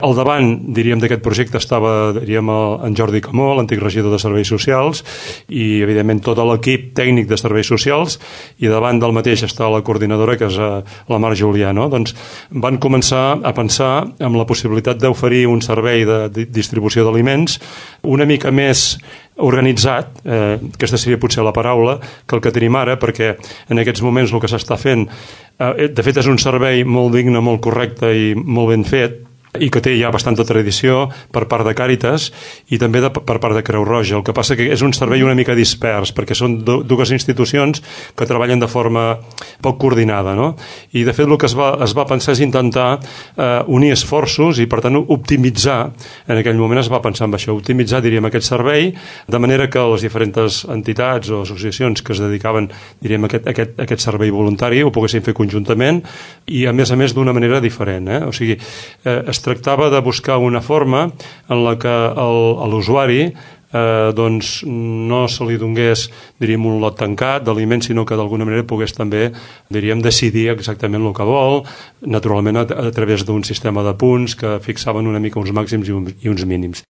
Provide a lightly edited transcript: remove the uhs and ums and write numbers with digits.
Al davant, diríem, d'aquest projecte estava, diríem, en Jordi Camó, l'antic regidor de Serveis Socials, i, evidentment, tot l'equip tècnic de Serveis Socials, i davant del mateix està la coordinadora, que és la Mar Julià, no? Doncs van començar a pensar en la possibilitat d'oferir un servei de distribució d'aliments una mica més organitzat, aquesta seria potser la paraula, que el que tenim ara, perquè en aquests moments el que s'està fent, de fet és un servei molt digne, molt correcte i molt ben fet, i que té ja bastanta tradició per part de Càritas i també per part de Creu Roja. El que passa que és un servei una mica dispers, perquè són dues institucions que treballen de forma poc coordinada, no? I de fet el que es va pensar és intentar unir esforços i per tant optimitzar, en aquell moment es va pensar en això, optimitzar, diríem, aquest servei, de manera que les diferents entitats o associacions que es dedicaven, diríem, a aquest servei voluntari ho poguessin fer conjuntament i a més d'una manera diferent, O sigui, es tractava de buscar una forma en la que a l'usuari doncs no se li donés, diríem, un lot tancat d'aliments, sinó que d'alguna manera pogués també, diríem, decidir exactament el que vol, naturalment a través d'un sistema de punts que fixaven una mica uns màxims i uns mínims.